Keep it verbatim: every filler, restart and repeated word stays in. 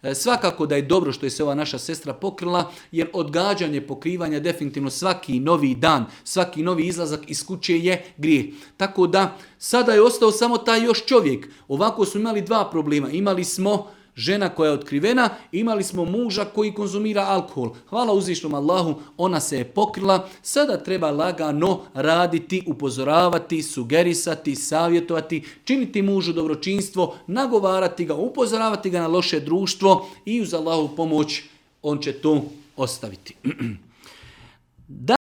E, svakako da je dobro što je se ova naša sestra pokrila, jer odgađanje pokrivanja definitivno svaki novi dan, svaki novi izlazak iz kuće je grijeh. Tako da sada je ostao samo taj još čovjek. Ovako smo imali dva problema. Imali smo žena koja je otkrivena, imali smo muža koji konzumira alkohol. Hvala uzvišnom Allahu, ona se je pokrila. Sada treba lagano raditi, upozoravati, sugerisati, savjetovati, činiti mužu dobročinstvo, nagovarati ga, upozoravati ga na loše društvo i uz Allahu pomoć on će to ostaviti. Da